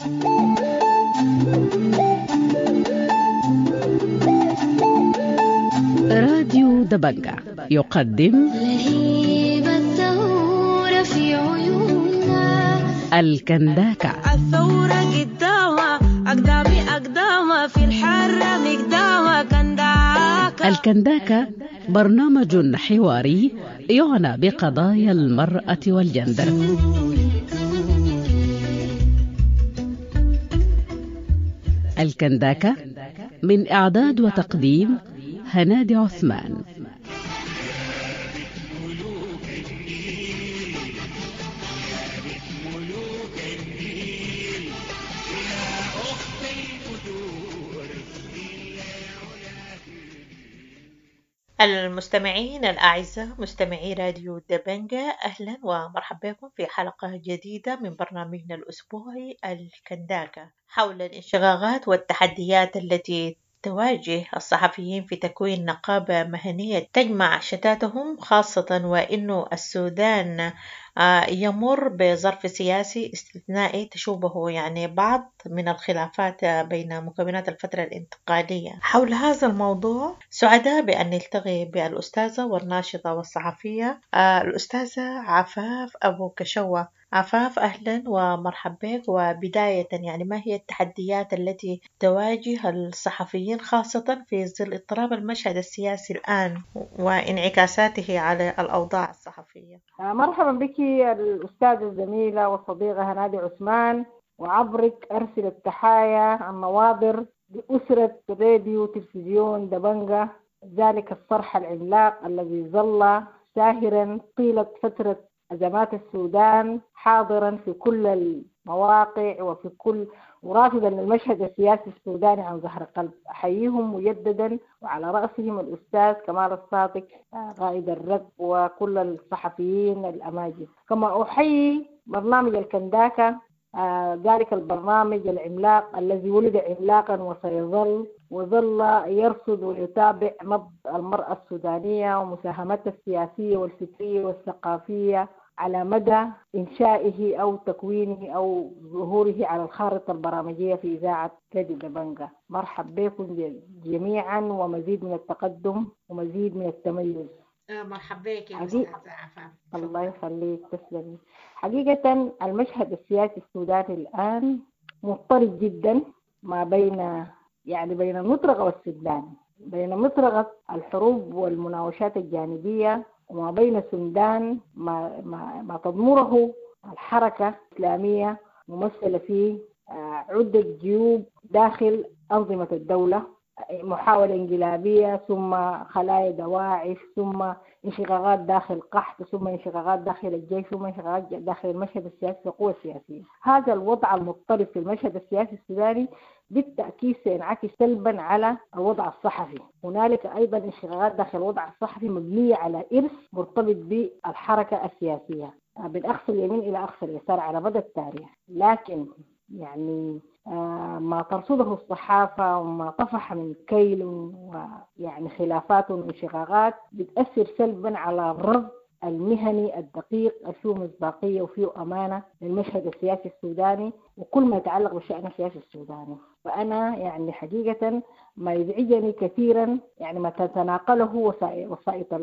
راديو دبنجة يقدم لهيب الثورة في عيوننا. الكنداكة. الثورة قدامها أقدامي أقدامها في الحرة مقدامها كنداكة. الكنداكة برنامج حواري يعنى بقضايا المرأة والجندر. الكنداكة من إعداد وتقديم هنادي عثمان. المستمعين الأعزاء مستمعي راديو دبنجة، أهلا ومرحبا بكم في حلقة جديدة من برنامجنا الأسبوعي الكنداكة حول الانشقاقات والتحديات التي تواجه الصحفيين في تكوين نقابة مهنية تجمع شتاتهم، خاصة وإنه السودان يمر بظرف سياسي استثنائي تشوبه يعني بعض من الخلافات بين مكونات الفترة الانتقالية. حول هذا الموضوع سعداء بأن نلتقي بالأستاذة والناشطة والصحفية الأستاذة عفاف أبو كشوة. عفاف، أهلا ومرحبا بك. وبداية يعني ما هي التحديات التي تواجه الصحفيين خاصة في ظل اضطراب المشهد السياسي الآن وانعكاساته على الأوضاع الصحفية؟ مرحبا بك الأستاذة الزميلة والصديقة هنادي عثمان، وعبرك أرسل التحايا النواظر لأسرة راديو تلفزيون دبنجة، ذلك الصرح العملاق الذي ظل ساهرا طيلة فترة أزمات السودان، حاضرا في كل المواقع وفي كل ورافضا للمشهد السياسي السوداني عن ظهر قلب. أحييهم مجددا، وعلى رأسهم الأستاذ كمال الصادق قائد الركب وكل الصحفيين الأماجد. كما أحيي برنامج الكنداكة، ذلك البرنامج العملاق الذي ولد عملاقا وسيظل، وظل يرصد ويتابع نبض المرأة السودانية ومساهمتها السياسية والفكرية والثقافية على مدى إنشائه أو تكوينه أو ظهوره على الخارطة البرامجية في إذاعة راديو دبنجة. مرحب بكم جميعا، ومزيد من التقدم ومزيد من التميز. مرحب بك يا أستاذة عفاف. الله يخليك، تسلمي. حقيقة المشهد السياسي السوداني الآن مضطرب جدا ما بين يعني بين المطرقة والسودان، بين مطرقة الحروب والمناوشات الجانبية وما بين السودان ما, ما, ما تضمره الحركة الإسلامية ممثلة في عدة جيوب داخل أنظمة الدولة، محاولة انقلابية ثم خلايا دواعش ثم انشقاقات داخل قحط ثم انشقاقات داخل الجيش ثم انشقاقات داخل المشهد السياسي والقوى السياسية. هذا الوضع المضطرب في المشهد السياسي السوداني بالتأكيد سينعكس سلبا على الوضع الصحفي. هنالك أيضا انشقاقات داخل الوضع الصحفي مبنية على إرث مرتبط بالحركة السياسية من أقصى اليمين إلى أقصى اليسار على مدى التاريخ. لكن يعني ما ترصده الصحافة وما طفح من كيل ويعني خلافات وانشقاقات بتأثر سلبا على الرصد المهني الدقيق فيه مصداقية وفيه أمانة للمشهد السياسي السوداني وكل ما يتعلق بالشأن السياسي السوداني. فأنا يعني حقيقة ما يزعجني كثيرا يعني ما تتناقله وسائط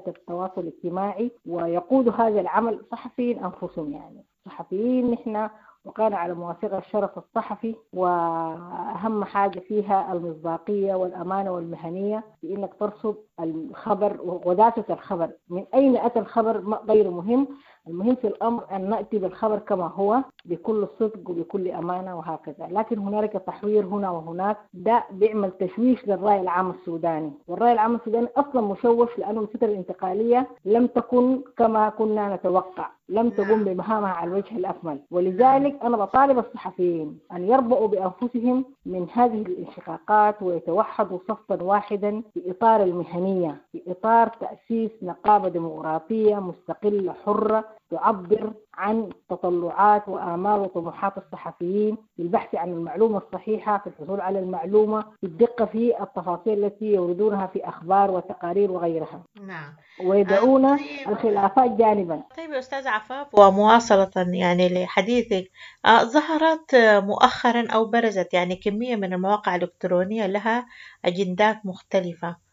التواصل الاجتماعي، ويقود هذا العمل صحفيين أنفسهم. يعني صحفيين نحن وكان على مواثيق الشرف الصحفي، وأهم حاجة فيها المصداقية والأمانة والمهنية في إنك ترصد الخبر وغداسة الخبر. من أين أتى الخبر غير مهم، المهم في الأمر أن نأتي بالخبر كما هو بكل صدق وبكل أمانة وهكذا. لكن هنالك تحوير هنا وهناك، ده بيعمل تشويش للرأي العام السوداني، والرأي العام السوداني أصلا مشوش لأنه الفترة الانتقالية لم تكن كما كنا نتوقع، لم تقوم بمهامها على الوجه الأكمل. ولذلك أنا بطالب الصحفيين أن يربؤوا بأنفسهم من هذه الانشقاقات ويتوحدوا صفا واحدا في إطار المهنية، في إطار تأسيس نقابة ديمقراطية مستقلة حرة تعبر عن تطلعات وآمال وطموحات الصحفيين في البحث عن المعلومة الصحيحة، في الحصول على المعلومة، في الدقة في التفاصيل التي يوردونها في أخبار وتقارير وغيرها. نعم. ويدعون طيب. الخلافات جانبا. طيب يا أستاذ عفاف، ومواصلة يعني لحديثك، ظهرت مؤخرا أو برزت يعني كمية من المواقع الإلكترونية لها أجندات مختلفة.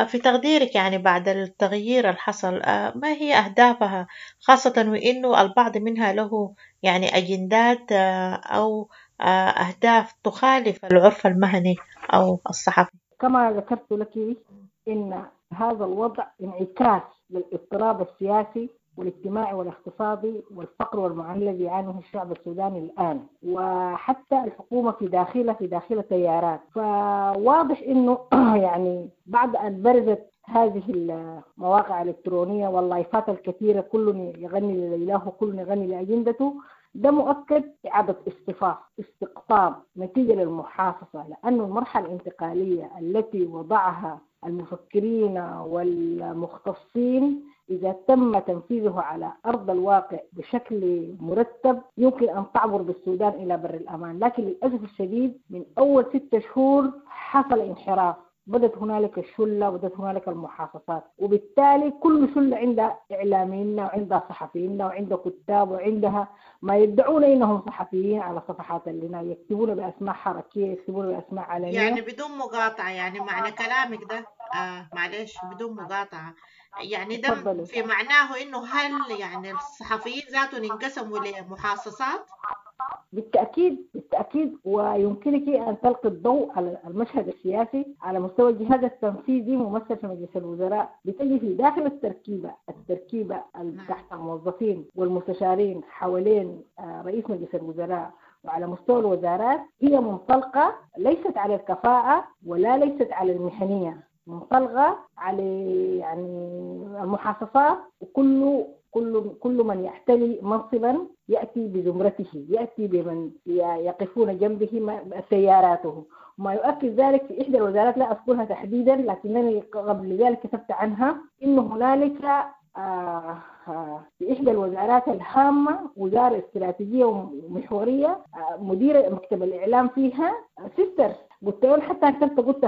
في تقديرك يعني بعد التغيير اللي حصل، ما هي أهدافها، خاصة وإنه البعض منها له يعني أجندات أو أهداف تخالف العرف المهني أو الصحفي؟ كما ذكرت لك إن هذا الوضع انعكاس للاضطراب السياسي والاجتماعي والاقتصادي والفقر والمعاناة الذي يعانيه الشعب السوداني الآن، وحتى الحكومة في داخلها تيارات. فواضح إنه يعني بعد أن برزت هذه المواقع الإلكترونية واللايفات الكثيرة، كل يغني لليلاه وكل يغني لأجندته، ده مؤكد إعادة اصطفاف، استقطاب نتيجة للمحاصصة، لأن المرحلة الانتقالية التي وضعها المفكرين والمختصين إذا تم تنفيذه على أرض الواقع بشكل مرتب يمكن أن تعبر بالسودان إلى بر الأمان. لكن للأسف الشديد من أول 6 شهور حصل انحراف، بدت هنالك الشلة وبدت هنالك المحاصصات، وبالتالي كل شلة عندها إعلاميين وعندها صحفيين وعندها كتاب وعندها ما يدعون إنهم صحفيين على صفحات اللي يكتبون بأسماء حركية، يكتبون بأسماء علنية. يعني بدون مقاطعة، يعني معنى كلامك ده معلش بدون مقاطعة، يعني ده تفضلي. في معناه إنه هل يعني الصحفيين ذاتهم انقسموا لمحاصصات؟ بالتأكيد بالتأكيد، ويمكنك أن تلقي الضوء على المشهد السياسي على مستوى الجهاز التنفيذي ممثل في مجلس الوزراء، بتجي في داخل التركيبة تحت الموظفين والمستشارين حوالين رئيس مجلس الوزراء وعلى مستوى الوزارات، هي منطلقة ليست على الكفاءة ولا ليست على المهنية، منطلقة على يعني المحاصصات، وكل كل كل من يحتلي منصبا يأتي بزمرته، يأتي بمن يقفون جنبه سياراته. وما يؤكد ذلك في إحدى الوزارات لا أذكرها تحديدا لكنني قبل ذلك كتبت عنها، إن هنالك في إحدى الوزارات الهامة وزارة استراتيجية ومحورية، مدير مكتب الإعلام فيها sister، قلت لهم حتى كتبت قلت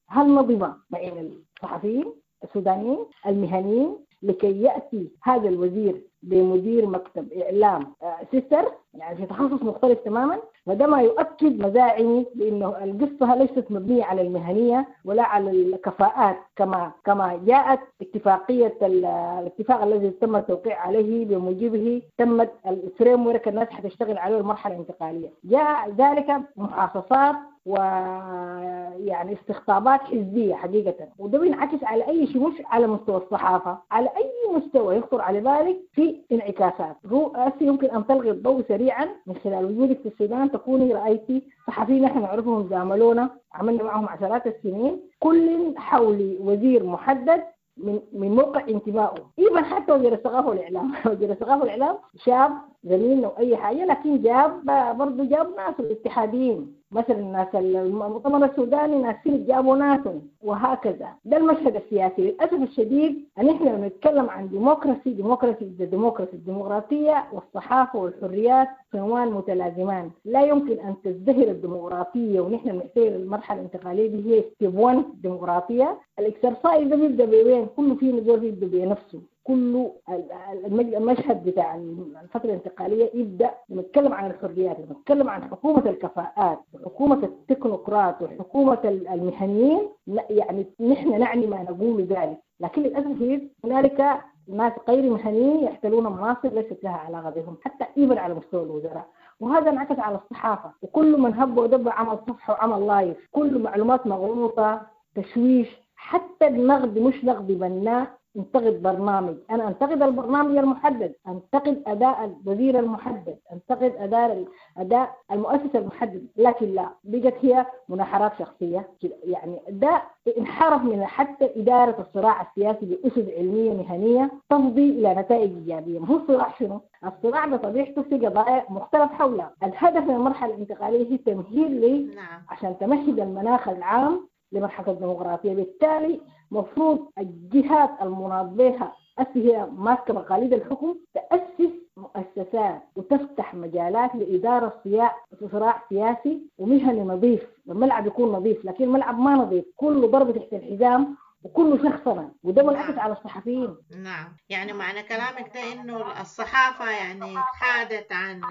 هل نضب بين الصحفيين السودانيين المهنيين لكي يأتي هذا الوزير بمدير مكتب إعلام sister، يعني في تخصص مختلف تماما. وده ما يؤكد مزاعمي بأنه القصة ليست مبنية على المهنية ولا على الكفاءات كما جاءت اتفاقية الاتفاق الذي تم التوقيع عليه بموجبه تمت ال framework الناس حتشتغل عليه المرحلة الانتقالية. جاء ذلك محاصصات ويعني استقطابات حزبية حقيقة، وده بينعكس على أي شيء، مش على مستوى الصحافة، على أي مستوى يخطر على بالك في انعكاسات. رؤاسي يمكن أن تلغي الضوء سريعا من خلال وجودك في السودان، تكوني رأيتي صحفيين نحن نعرفهم زاملونا، عملنا معهم عشرات السنين، كل حول وزير محدد من موقع انتمائه، ايضا حتى وزير الثقافه والاعلام وزير الثقافه والاعلام شاب زميلنا واي حاجه، لكن جاب برضه جاب ناس الاتحاديين مثلا، ناس المؤتمر السوداني، ناس جابوا ناس، وهكذا. ده المشهد السياسي للاسف الشديد. ان احنا لما نتكلم عن democracy، democracy democracy، الديمقراطيه والصحافه والحريات صنوان متلازمان، لا يمكن ان تزدهر الديمقراطيه ونحن بنحتاج المرحله الانتقاليه دي هي step 1 ديمقراطيه. ال exercise ده بيبدا بوين؟ كله فينا زول بيبدا بنفسه، كله المشهد بتاع الفترة الانتقالية يبدأ نتكلم عن الحريات، نتكلم عن حكومة الكفاءات وحكومة التكنوقراط وحكومة المهنيين، يعني نحن نعني ما نقول ذلك. لكن للأسف هنالك ناس غير مهنيين يحتلون مناصب ليست لها علاقة بهم حتى even على مستوى الوزراء، وهذا انعكس على الصحافة، وكل من هب ودب عمل صفحة وعمل live، كل معلومات مغلوطة، تشويش، حتى النقد مش نقد بناء. انتقد برنامج، أنا أنتقد البرنامج المحدد، أنتقد أداء الوزير المحدد، أنتقد أداء المؤسسة المحدد، لكن لا، بقت هي مناحرات شخصية. يعني ده انحرف من حتى إدارة الصراع السياسي بأسس علمية مهنية تفضي إلى نتائج إيجابية. ما هو الصراع شنو؟ الصراع بطبيعته في قضايا مختلف حولها. الهدف من المرحلة الانتقالية هي تمهيد لي عشان تمهد المناخ العام لمرحلة الديمقراطية. بالتالي مفروض الجهات المناط بها هسه هي ماسكه مقاليد الحكم، تاسس مؤسسات وتفتح مجالات لادارة صراع سياسي ومهني نظيف. الملعب يكون نظيف، لكن الملعب ما نظيف، كله ضرب تحت الحزام وكله شخصنة، وده منعكس على الصحفيين. نعم، يعني معنى كلامك ده إنه الصحافة يعني حادت عن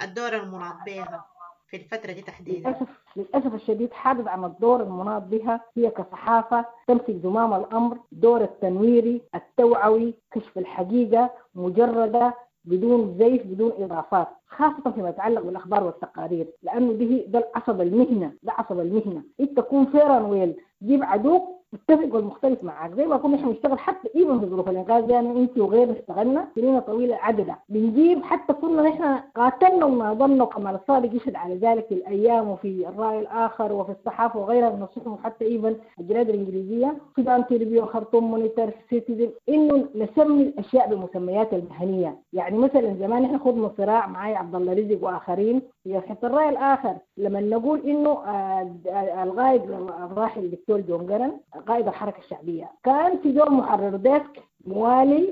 الدور المناط بها في الفترة دي تحديدا. للأسف الشديد حادت عن الدور المناط بها. هي كصحافة تمسك زمام الأمر، دور التنويري التوعوي، كشف الحقيقة مجردة بدون زيف بدون إضافات، خاصة فيما يتعلق بالأخبار والتقارير، لأنه ده العصب المهنة، ده عصب المهنة. أنت تكون fair and well، جيب عدوك اتفق والمختلف معاك، زي ما كنا احنا بنشتغل حتى even في ظروف الانقاذ، يعني انت وغيرنا اشتغلنا سنين طويلة عددا بنجيب، حتى كنا نحن قاتلنا وناضلنا، وكمال الصادق يشهد على ذلك في الايام وفي الراي الاخر وفي الصحافة وغيرها من الصحف، وحتى even الجرائد الانجليزية، سودان تريبيون، خرطوم مونيتر، سيتيزن، انه نسمي الاشياء بمسمياتها المهنية. يعني مثلا زمان احنا خضنا صراع معاي عبد الله رزق واخرين في حتة الراي الاخر، لما نقول انه القائد الراحل الدكتور جون جرن قائد الحركة الشعبية، كان في دور محرر desk موالي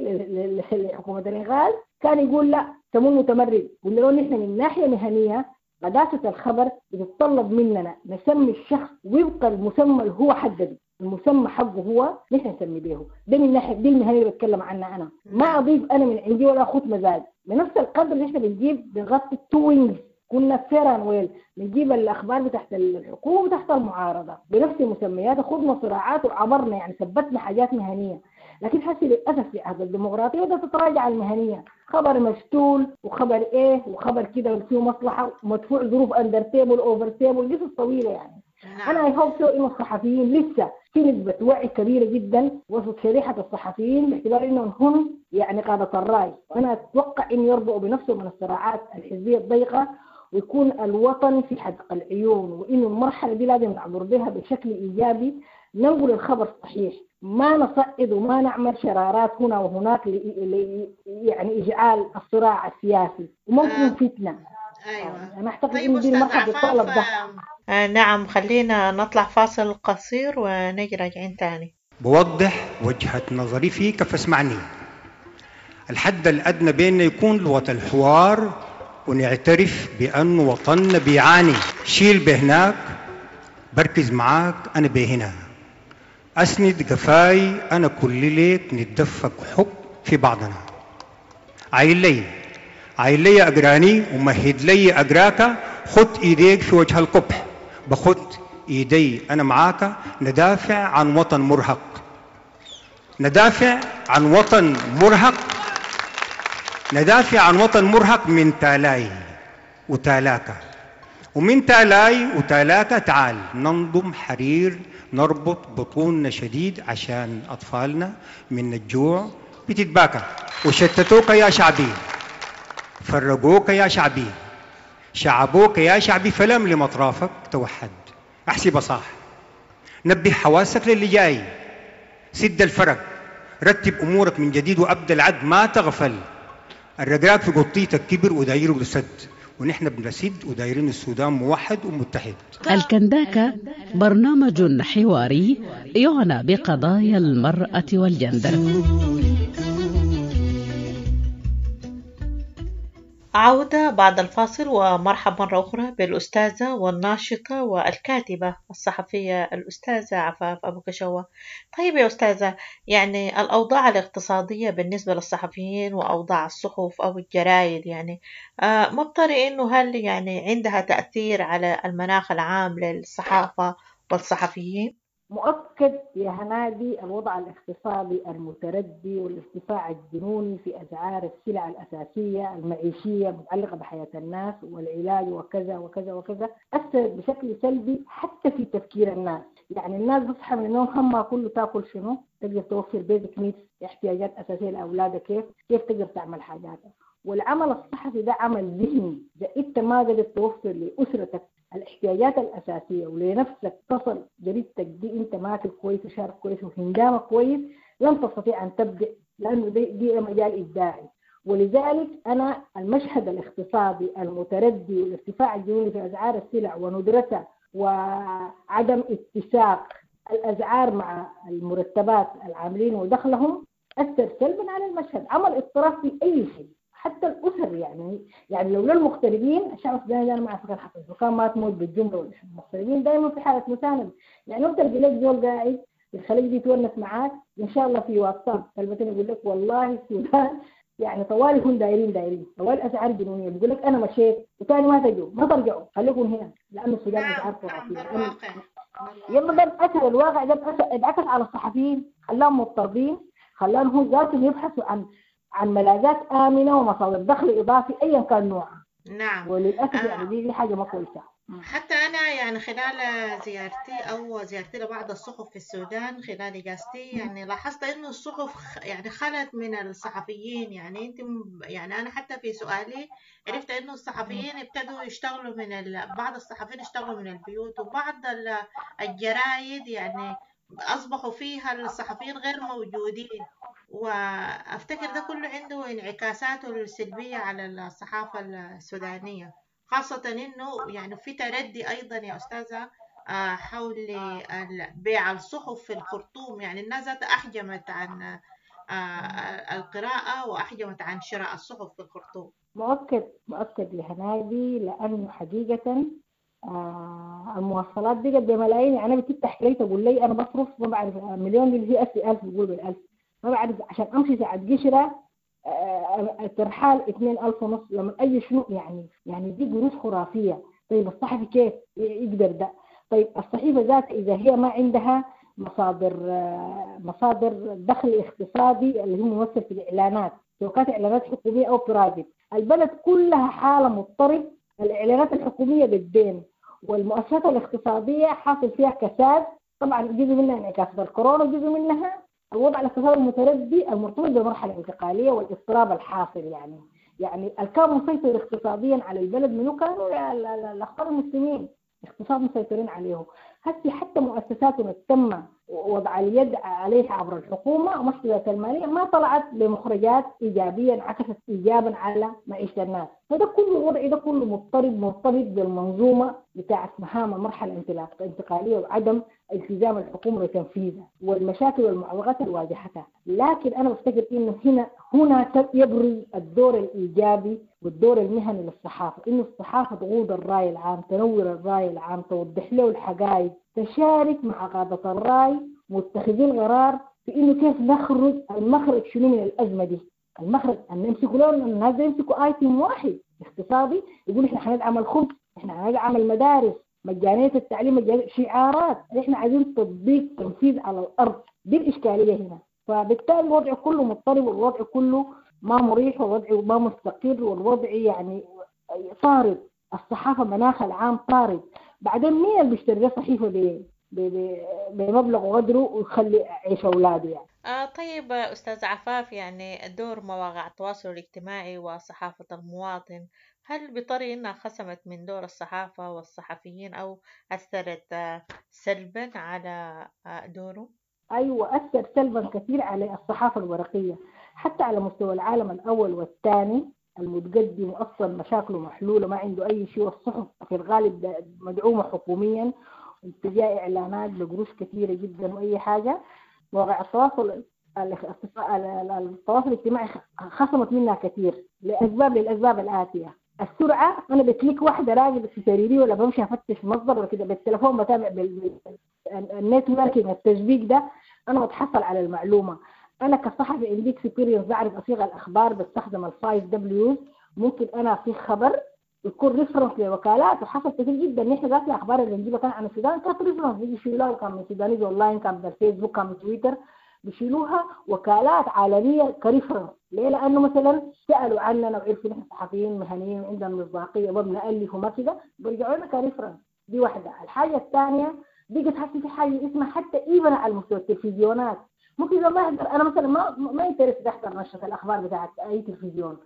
لحكومة الإنقاذ، كان يقول لا سموه متمرد. قلنا له نحن من ناحية مهنية قداسة الخبر بتتطلب مننا نسمي الشخص وفق المسمى اللي هو حدده، المسمى حقه هو نحن نسمي به. ده من ناحية دي المهنية اللي بتكلم عنها أنا، ما أضيف أنا من عندي ولا أخوت مزاج. بنفس القدر اللي نحن بنجيب بنغطي ال two wings، كنا fair and well بنجيب الاخبار بتاعت الحكومة وتحت المعارضة بنفس المسميات، خضنا صراعات وعبرنا، يعني ثبتنا حاجات مهنية. لكن حسي للاسف في عهد الديمقراطية بدات تتراجع المهنية، خبر مشتول وخبر ايه وخبر كده فيه مصلحة ومدفوع ظروف under table over table، قصص طويلة يعني. انا I hope so انه الصحفيين لسه في نسبه وعي كبيرة جدا وسط شريحة الصحفيين، باعتبار انهم هم يعني قاده الراي، وانا اتوقع ان يربؤوا بنفسهم من الصراعات الحزبية الضيقه، ويكون الوطن في حدق العيون، وإنه المرحلة دي لازم نعبر بها بشكل إيجابي، ننقل الخبر الصحيح، ما نصعد وما نعمل شرارات هنا وهناك يعني إجعال الصراع السياسي وممكن فتنة. أيوة. أنا أعتقد طيب إنه دي أستاذ المرحلة بتطلب ده. عفاف، نعم خلينا نطلع فاصل قصير ونجي راجعين تاني. بوضح وجهة نظري فيك فاسمعني. الحد الأدنى بيننا يكون لغة الحوار، ونعترف بأن وطننا بيعاني. شيل بهناك، بركز معاك أنا بهنا، أسند قفاي أنا كل ليك، نتدفق حب في بعضنا. عايل لي عايل لي أقراني ومهد لي أقراك، خد إيديك في وجه القبح، بخد إيدي أنا معاك، ندافع عن وطن مرهق، ندافع عن وطن مرهق، ندافع عن وطن مرهق من تالاي وتالاكا، ومن تالاي وتالاكا تعال ننضم حرير، نربط بطوننا شديد عشان أطفالنا من الجوع بتتباكى. وشتتوك يا شعبي، فرقوك يا شعبي، شعبوك يا شعبي، فلم لمطرافك توحد. أحسب صح، نبه حواسك للي جاي، سد الفرق، رتب أمورك من جديد وأبدأ العد، ما تغفل. الرقراق في قطيتك كبر ودايره بسد، ونحن بنسد ودايرين السودان موحد ومتحد. الكنداكة برنامج حواري يعنى بقضايا المرأة والجندر. عودة بعد الفاصل، ومرحبا مرة أخرى بالأستاذة والناشطة والكاتبة الصحفية الأستاذة عفاف أبو كشوة. طيب يا أستاذة، يعني الأوضاع الاقتصادية بالنسبة للصحفيين وأوضاع الصحف أو الجرايد، يعني ما بطري إنه هل يعني عندها تأثير على المناخ العام للصحافة والصحفيين؟ مؤكد يا هنادي الوضع الاقتصادي المتردي والارتفاع الجنوني في أسعار السلع الأساسية المعيشية المتعلقة بحياة الناس والعلاج وكذا وكذا وكذا أثر بشكل سلبي حتى في تفكير الناس. يعني الناس بتصحى من النوم همها كله تاكل شنو، تقدر توفر basic needs، احتياجات أساسية لأولادها، كيف تقدر تعمل حاجاتها. والعمل الصحفي ده عمل ذهني، إذا أنت ما قدرت توفر لأسرتك الاحتياجات الأساسية ولنفسك تصل جريدتك دي أنت ماكل كويس وشارب كويس وهندامك كويس، لن تستطيع أن تبدع، لأنه دي مجال إبداعي. ولذلك أنا المشهد الاقتصادي المتردي والارتفاع الجنوني في أسعار السلع وندرتها وعدم اتساق الأسعار مع المرتبات العاملين ودخلهم اثر سلبا على المشهد، عمل اضطراب في اي شيء، حتى الاسر. يعني لولا المغتربين الشعب السوداني انا ما اعرف كان حصل، وكان ما تموت بالجملة. المغتربين دائما في حاله مساندة، يعني لو تلقى لك زول قاعد في الخليج بيتونس معاك ان شاء الله في واتساب كلمتين يقول لك والله السودان يعني طوالي هم دايرين طوالي اسعار جنونيه، بيقول لك انا مشيت وثاني ما تجوا ما ترجعوا خليكم هنا لانه السودان اسعار خرافية. يلا ده اثر الواقع، ده انعكس على الصحفيين، خلاهم مضطربين، خلاهم هم ذاتهم يبحثوا عن ملاذات امنه ومصادر دخل اضافي ايا كان نوعها. نعم، وللاسف يعني دي حاجة ما كويسة. حتى أنا يعني خلال زيارتي لبعض الصحف في السودان خلال إجازتي، يعني لاحظت إنه الصحف يعني خلت من الصحفيين. يعني أنت يعني أنا حتى في سؤالي عرفت إنه الصحفيين ابتدوا يشتغلوا من بعض الصحفيين اشتغلوا من البيوت، وبعض الجرايد يعني أصبحوا فيها الصحفيين غير موجودين، وأفتكر ده كله عنده انعكاساته السلبية على الصحافة السودانية، خاصة إنه يعني في تردي أيضا يا أستاذة حول بيع الصحف في الخرطوم. يعني الناس أحجمت عن القراءة وأحجمت عن شراء الصحف في الخرطوم. مؤكد لهنادي، لأنه حقيقة المواصلات بقت بملايين. يعني أنا بتفتح لي تقول لي أنا بصرف ما بعرف مليون اللي هي 1000 بقول بالألف، ما بعرف عشان أمشي ساعة قشرة الترحال 2,500 لما اي شنو يعني دي قروش خرافية. طيب الصحفي كيف يقدر ده؟ طيب الصحيفة ذاتها اذا هي ما عندها مصادر دخل اقتصادي اللي هو ممثل في الاعلانات، سواء كانت اعلانات حكومية او برايفت، البلد كلها حاله مضطرب. الاعلانات الحكومية بالدين، والمؤسسات الاقتصادية حاصل فيها كساد، طبعا جزء منها انعكاس الكورونا وجزء منها الوضع الاقتصادي المتردي المرتبط بالمرحلة الانتقالية والاضطراب الحاصل. يعني الكان مسيطر اقتصاديا على البلد منو كانوا الاخوان المسلمين، اقتصاد مسيطرين عليه. هسي حتى مؤسساتهم تم وضع اليد عليها عبر الحكومة ومؤسسات المالية ما طلعت بمخرجات ايجابية انعكست ايجابا على معيشة الناس. فده كله الوضع ده كله مضطرب، مرتبط بالمنظومه بتاعت مهام المرحلة الانتقالية وعدم التزام الحكومة بتنفيذها والمشاكل والمعوقات اللي واجهتها. لكن انا بفتكر انه هنا يبرز الدور الايجابي والدور المهني للصحافة، انه الصحافة تقود الراي العام، تنور الراي العام، توضح له الحقائق، تشارك مع قادة الراي متخذي القرار في انه كيف نخرج، المخرج شنو من الازمة دي. المخرج ان يمسكوا لهم الناس يمسكوا ايتم واحد اقتصادي يقول احنا حندعم الخبز، احنا حندعم المدارس، مجانية التعليم، مجانية، شعارات، احنا عايزين تطبيق تنفيذ على الارض. دي الاشكالية هنا. فبالتالي الوضع كله مضطرب، والوضع كله ما مريح، والوضع ما مستقر، والوضع يعني طارد. الصحافة مناخ العام طارد. بعدين مين اللي بيشتري صحيفة بمبلغ وقدره ويخلي عيش اولاده يعني؟ طيب أستاذ عفاف، يعني دور مواقع التواصل الاجتماعي وصحافة المواطن، هل بطريقة إنها خصمت من دور الصحافة والصحفيين أو أثرت سلبا على دوره؟ أيوة، أثر سلبا كثير على الصحافة الورقية، حتى على مستوى العالم الأول والثاني المتقدم وأصلا مشاكله محلولة ما عنده أي شيء، والصحف في الغالب مدعومة حكوميا واتجاه إعلانات بقروش كثيرة جدا وأي حاجة. مواقع التواصل الاجتماعي خصمت منها كثير للأسباب الآتية: السرعة، أنا ب click واحدة راجل في سريري ولا بمشي أفتش مصدر ولا كده، بالتليفون بتابع بال networking التشبيك ده أنا بتحصل على المعلومة. أنا كصحفي عندي experience، بعرف أصيغ الأخبار، بستخدم ال five Ws، ممكن أنا أصيغ خبر يكون reference لوكالات، وحصل كثير جدا. نحن ذات الاخبار اللي نجيبها كان عن السودان كانت reference، بيجي يشيلوها كان من سودانيز اونلاين، كان من الفيسبوك، كان من تويتر، بيشيلوها وكالات عالمية ك reference. ليه؟ لانه مثلا سالوا عننا وعرفوا نحن صحفيين مهنيين وعندنا مصداقية وبنالف وما كده، بيرجعوا لنا ك reference. دي واحدة. الحاجة الثانية بقت حتى في حاجة اسمها حتى even على مستوى التلفزيونات، ممكن لما احضر انا مثلا ما interested احضر نشره الاخبار بتاعت اي تلفزيون،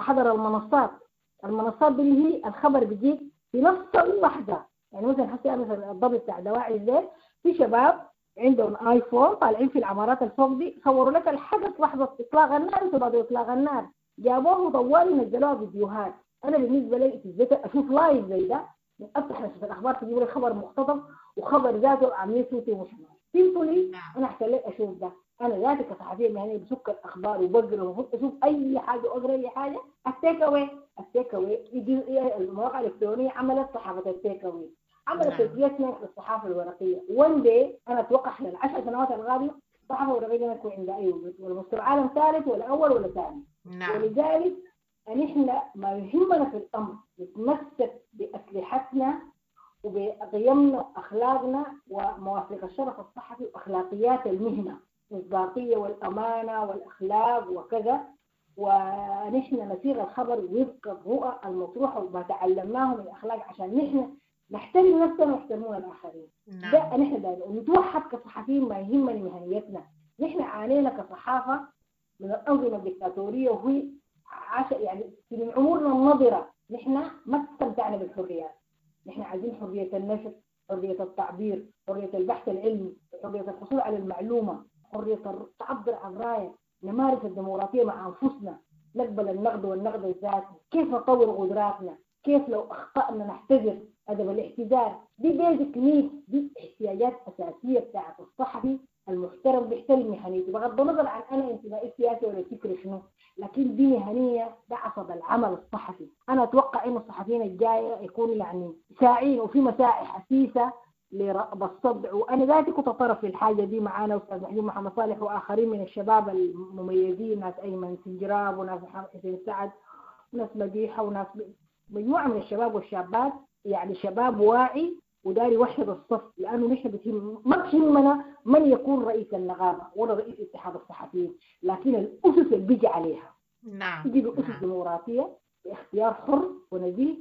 احضر المنصات. المنصات دي اللي هي الخبر بيجيك في نفس اللحظة. يعني مثلا حسي مثلا الضبط بتاع دواعي الزيت، في شباب عندهم ايفون طالعين في العمارات الفوق دي، صوروا لك الحدث لحظة اطلاق النار وبعد اطلاق النار، جابوه طوالي نزلوها فيديوهات. انا بالنسبة لي في اشوف live زي ده من افتح نشره الاخبار تجيب لي خبر مقتضب وخبر ذاته عاملين صوتي ومش simply انا احسن لي اشوف ده. انا ذاتي كصحفيه مهنية بسك الاخبار وبقرا وبفوت اشوف اي حاجة واقرا اي حاجة. ال take away، ال take away المواقع الالكترونية عملت صحافة ال take away، عملت replacement للصحافة الورقية. one day انا اتوقع خلال 10 سنوات القادمة الصحافة الورقية ما تكون عندها اي وجود، ولا مستوى عالم ثالث ولا اول ولا ثاني. ولذلك نحن ما يهمنا في الامر نتمسك باسلحتنا وبقيمنا واخلاقنا ومواثيق الشرف الصحفي واخلاقيات المهنة، المصداقية والامانة والاخلاق وكذا. ونحن نصيغ الخبر وفق الرؤى المطروحة وما تعلمناه من الاخلاق عشان نحن نحترم نفسنا ويحترمون الاخرين. ده نحن دايما ونتوحد كصحفيين. ما يهمنا مهنيتنا، نحن عانينا كصحافه من الانظمة الدكتاتورية، وهي يعني من عمرنا النظرة نحن ما استمتعنا بالحريات. نحن عايزين حرية النشر، حرية التعبير، حرية البحث العلمي، حرية الحصول على المعلومة، حرية التعبر عن رايك، نمارس الديمقراطية مع انفسنا، نقبل النقد والنقد الذاتي، كيف نطور قدراتنا، كيف لو اخطانا نعتذر، ادب الاعتذار. دي basic need، دي احتياجات اساسية بتاعت الصحفي المحترم بيحترم مهنيته، بغض النظر عن انا انتمائي السياسي ولا فكري شنو، لكن دي مهنية، ده عصب العمل الصحفي. انا اتوقع انه الصحفيين الجاية يكونوا يعني ساعين وفي مساعي حثيثه لرأب الصدع، وانا ذاتي كنت طرف في الحاجة دي. معانا استاذ محجوب محمد صالح واخرين من الشباب المميزين، ناس ايمن سنجراب وناس محمد حسين سعد وناس مديحه وناس مجموعة من الشباب والشابات، يعني شباب واعي وداري يوحد الصف، لانه نحن بتهم ما بتهمنا من يكون رئيس النقابة ولا رئيس اتحاد الصحفيين، لكن الاسس اللي بيجي عليها. يجي باسس ديمقراطية باختيار حر ونزيه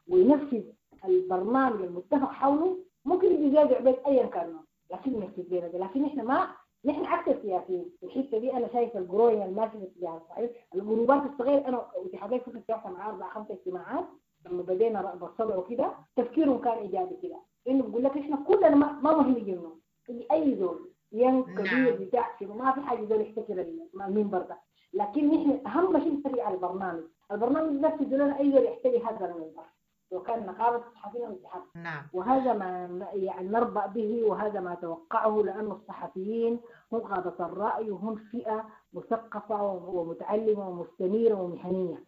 وينفذ البرنامج المتفق حوله. ممكن يجي زياد عبيد ايا كان، لكن ينفذ لنا ده. لكن احنا ما نحن عكس السياسيين في الحتة دي. انا شايف ال growing الماشي في اتجاه الصحيح، الجروبات الصغيرة. انا واتحاديه كنت اتفقت مع 4 5 اجتماعات لما بدينا رأب الصدع وكده، تفكيرهم كان ايجابي كده، انه بيقول لك احنا كلنا ما مهم يجي منه اي زول ين كبير بتاع شنو، ما في حاجة زول يحتكر المنبر ده، لكن نحن اهم شيء نتفق على البرنامج. البرنامج نفسه لنا اي زول يحتري هذا المنبر، وكان نقابة الصحفيين والاتحاد. وهذا ما يعني نربأ به، وهذا ما توقعه، لأن الصحفيين هم قادة الرأي وهم فئة مثقفة ومتعلمة ومستنيرة ومهنية،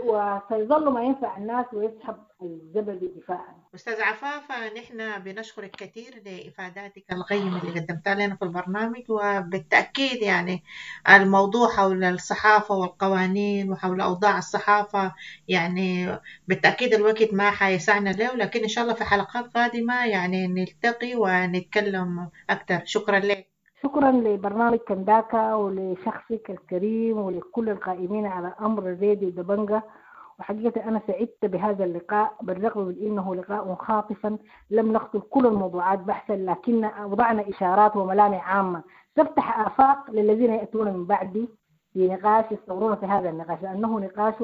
وسيظل ما ينفع الناس ويسحب الزبد دفاعا. أستاذ عفاف، نحن بنشكرك كثير لإفاداتك القيمة اللي قدمتها لنا في البرنامج، وبالتأكيد يعني الموضوع حول الصحافة والقوانين وحول أوضاع الصحافة يعني بالتأكيد الوقت ما حيسعنا له، لكن إن شاء الله في حلقات قادمة يعني نلتقي ونتكلم أكثر. شكرا لك. شكرا لبرنامج كنداكا ولشخصك الكريم ولكل القائمين على أمر الراديو دبنجة. وحقيقة أنا سعدت بهذا اللقاء، بالرغم من أنه لقاء خاطفا لم نخطر كل الموضوعات بحثا، لكن وضعنا إشارات وملامح عامة تفتح آفاق للذين يأتون من بعدي في نقاش يستمرون في هذا النقاش، لأنه نقاش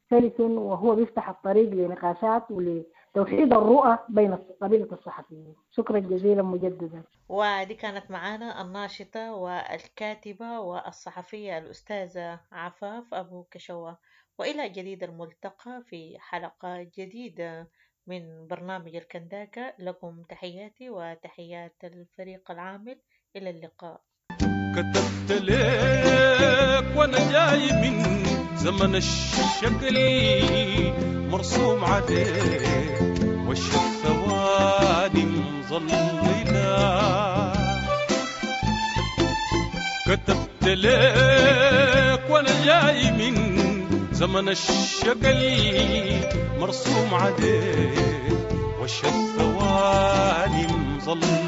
سلس وهو بيفتح الطريق لنقاشات ولتوحيد الرؤى بين قبيلة الصحفيين. شكرا جزيلا مجددا. ودي كانت معانا الناشطة والكاتبة والصحفية الأستاذة عفاف أبو كشوة، وإلى جديد الملتقى في حلقة جديدة من برنامج الكنداكة. لكم تحياتي وتحيات الفريق العامل، إلى اللقاء. كتبت لك وأنا جاي من زمن الشكل مرسوم عليه وش الثواني مظللة. كتبت لك وأنا جاي من زمن الشقل مرسوم عليه وش الثواني مظللة.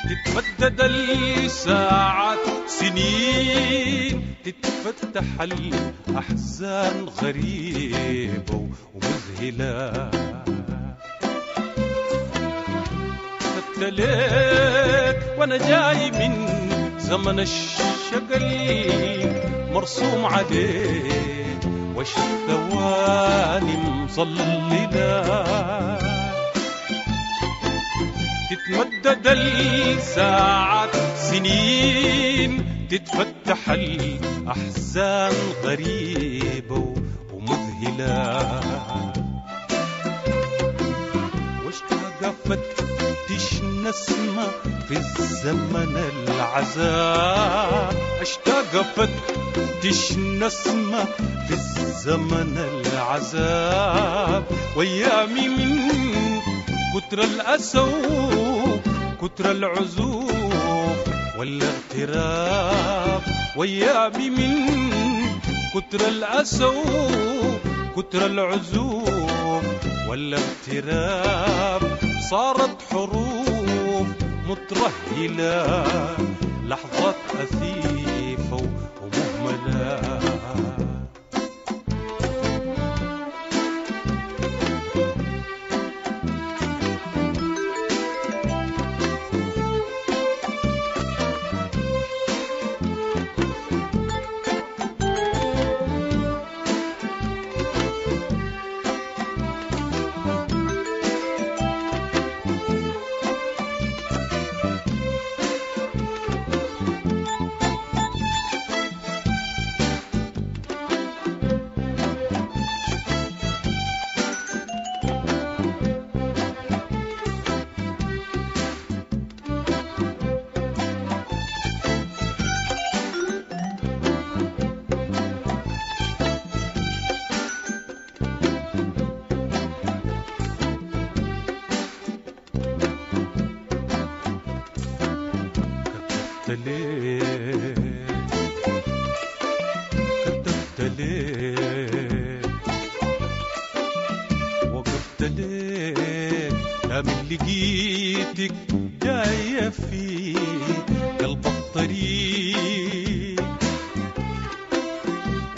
تتمدد الساعات سنين، تتفتح الأحزان غريبة ومذهلة. كتبت لك وأنا جاي من زمن الشقل مرسوم عليه وش الثواني مظللة. تتمدد الساعات سنين، تتفتح الأحزان غريبة ومذهلة. واشتاق فتش نسمة في الزمن العذاب، أشتاق أفتش نسمة في الزمن العذاب، وأيامي من كتر الأسى كتر العزوف والاغتراب، وأيامي من كتر الأسى كتر العزوف والاغتراب، صارت حروف مترهلة لحظات أثيفة ومهملة. كتبت ليه، وقفت ليه، لا من لقيتك جاية في قلب الطريق،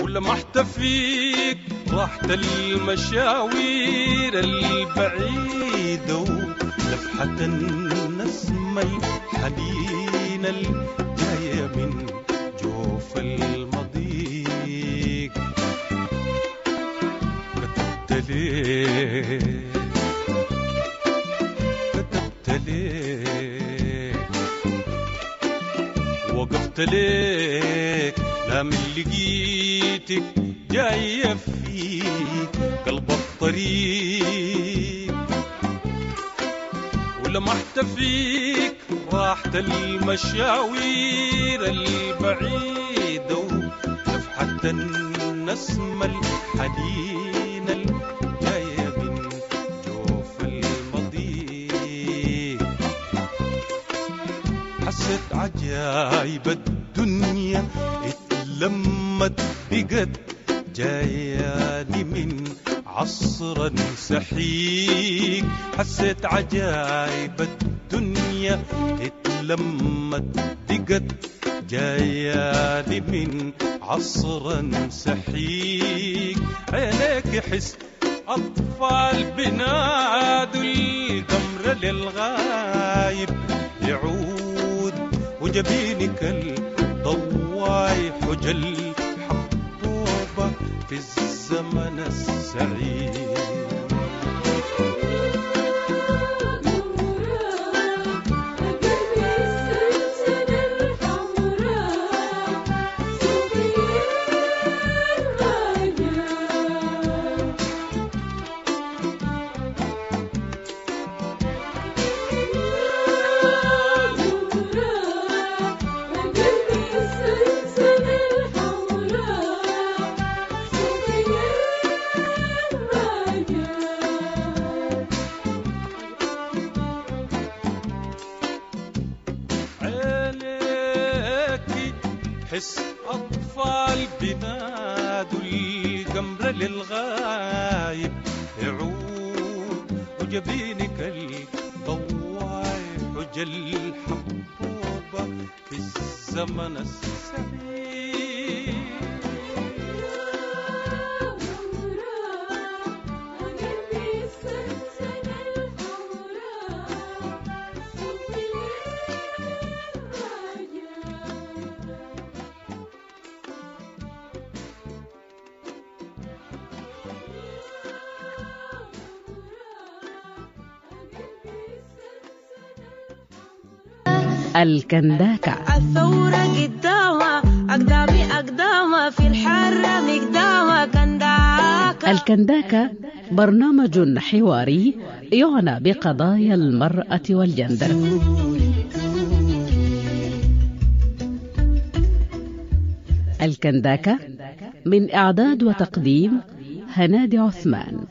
ولمحت فيك راحة المشاوير البعيدة، ولفحة النسمة الحنينة الجاية من جوف المضيق. كتبت ليه، كتبت ليه، وقفت ليك، لا من لقيتك جاية في قلب الطريق، ولمحت فيك راحة المشاوير البعيدة، ولفحة النسمة الحنينة الجاية من جوف المضيق. حسيت عجايب الدنيا اتلمت بقت جاياني من عصرا سحيق، حسيت عجايب الدنيا اتلمت بقت جاياني من عصرا سحيق، عينيك حس أطفال بنادوا القمر للغايب يعود، وجبينك الضواي حجل حبوبة في الزمن السعيد. حس أطفال بنادوا القمر للغايب يعود، وجبينك الضواي حجل حبوبة في الزمن السعيد. الكنداكة. الثورة قدامة أقدامي أقدامة في الحرة مقدامة كنداكة. الكنداكة برنامج حواري يعنى بقضايا المرأة والجندر. الكنداكة من إعداد وتقديم هنادي عثمان.